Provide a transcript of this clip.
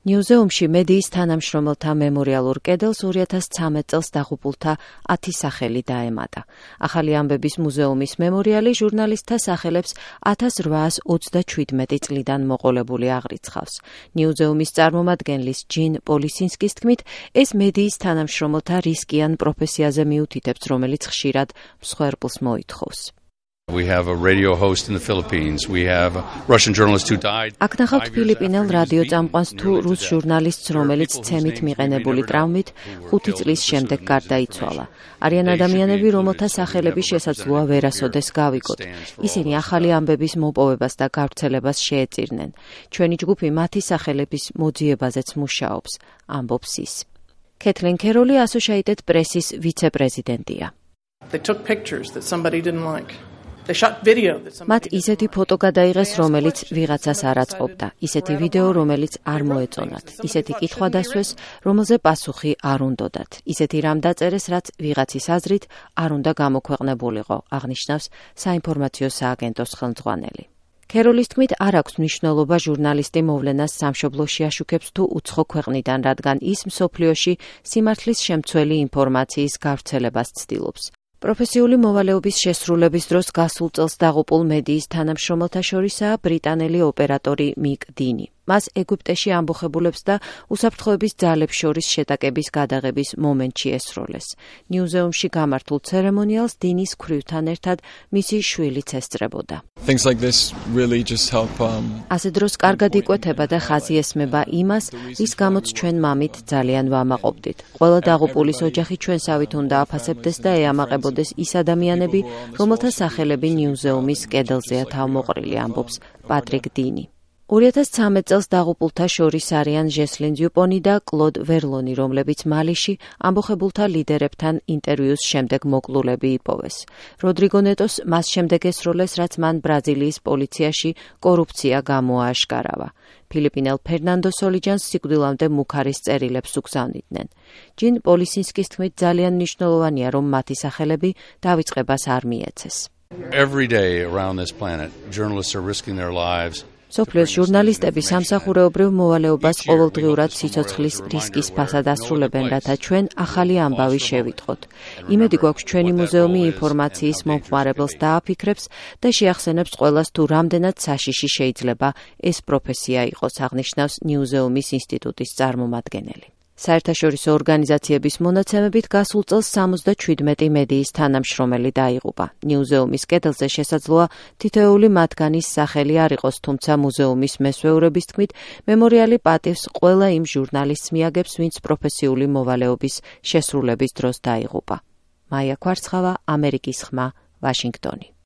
ნიუზეუმში მედიის თანამშრომელთა მემორიალურ კედელს 2013 წელს დაღუპულთა 10 სახელი დაემატა. ახალი ამბების მუზეუმის მემორიალი ჟურნალისტთა სახელებს 1837 წლიდან მოყოლებული აღრიცხავს. ნიუზეუმის წარმომადგენლის ჯინ პოლისინსკის თქმით, ეს მედიის თანამშრომელთა რისკიან პროფესიაზე მიუთითებს, რომელიც ხშირად მსხვერპლს მოითხოვს. We have a radio host in the Philippines. We have a Russian journalist who died. აქ ნახავთ ფილიპინელ რადიო წამყვანს თუ რუს ჟურნალისტს, რომელიც ცემით მიყენებული ტრავმით 5 წლის შემდეგ გარდაიცვალა. არიან ადამიანები, რომელთა სახელები შესაძლოა ვერასოდეს გავიგოთ. ისინი ახალი ამბების მოპოვებას და გავრცელებას შეეწირნენ. ჩვენი ჯგუფი მათი სახელების მოძიებაზეც მუშაობს, ამბობს ის. კეთლინ ქეროლი Associated Press-ის ვიცე-პრეზიდენტია. They took pictures that somebody didn't like. მათ ისეთი ფოტო გადაიღეს, რომელიც ვიღაცას არ აწყობდა, ისეთი ვიდეო, რომელიც არ მოეწონათ, ისეთი კითხვა დასვეს, რომელზე პასუხი არ უნდოდათ, ისეთი რამ დაწერეს, რაც ვიღაცის აზრით არ უნდა გამოქვეყნებულიყო, აღნიშნავს საინფორმაციო სააგენტოს ხელმძღვანელი. ქეროლის თქმით, არ აქვს მნიშვნელობა ჟურნალისტი მოვლენას სამშობლოში აშუქებს თუ უცხო ქვეყნიდან, რადგან ის მსოფლიოში სიმართლის შემცველი ინფორმაციის გავრცელებას ცდილობს. პროფესიული მოვალეობის შესრულების დროს გასულ წელს დაღუპულ მედიის თანამშრომელთა შორისაა ბრიტანელი ოპერატორი მიკ დინი. მას ეგვიპტეში ამბოხებულებს და უსაფრთხოების ძალებს შორის შეტაკების გადაღების მომენტში ესროლეს. ნიუზეუმში გამართულ ცერემონიალს დინის ქვრივთან ერთად მისი შვილიც ესწრებოდა. Things like this really just help ასე დროს კარგად იკვეთება და ხაზი ესმება იმას, რის გამოც ჩვენ მამით ძალიან ვამაყობდით. ყველა დაღუპულის ოჯახი ჩვენსავით უნდა აფასებდეს და ეამაყებოდეს ის ადამიანები, რომელთა სახელები ნიუზეუმის კედელზეა თავმოყრილი, ამბობს პატრიკ დინი. 2013 წელს დაღუპულთა შორის არიან ჟესლინ დიუპონი და კლოდ ვერლონი, რომლებიც მალიში ამბოხებულთა ლიდერებთან ინტერვიუს შემდეგ მოკლულები იპოვეს. როდრიგო ნეტოს მას შემდეგ ესროლეს, რაც მან ბრაზილიის პოლიციაში კორუფცია გამოააშკარავა. ფილიპინელ ფერნანდო სოლიჯანს სიკვდილამდე მუქარის წერილებს უგზავნიდნენ. ჯინ პოლისინსკის თქმით, ძალიან მნიშვნელოვანია, რომ მათი სახელები დავიწყებას არ მიეცეს. Every day around this planet, journalists are risking their lives. სოფლიოს ჟურნალისტები სამსახურეობრივ მოვალეობას ყოველდღიურად სიცოცხლის რისკის ფასად ასრულებენ, რათა ჩვენ ახალი ამბავი შევიტყოთ. იმედი გვაქვს, ჩვენი მუზეუმი ინფორმაციის მომხმარებელს დააფიქრებს და შეახსენებს ყველას, თუ რამდენად საშიში შეიძლება ეს პროფესია იყოს, აღნიშნავს ნიუზეუმის ინსტიტუტის წარმომადგენელი. საერთაშორისო ორგანიზაციების მონაცემებით გასულ წელს 77 მედიის თანამშრომელი დაიღუპა. ნიუზეუმის კედელზე შესაძლოა თითოეული მათგანის სახელი არ იყოს, თუმცა მუზეუმის მესვეურების თქმით, მემორიალი პატივს ყველა იმ ჟურნალისტს მიაგებს, ვინც პროფესიული მოვალეობის შესრულების დროს დაიღუპა. მაია კვარცხავა, ამერიკის ხმა, ვაშინგტონი.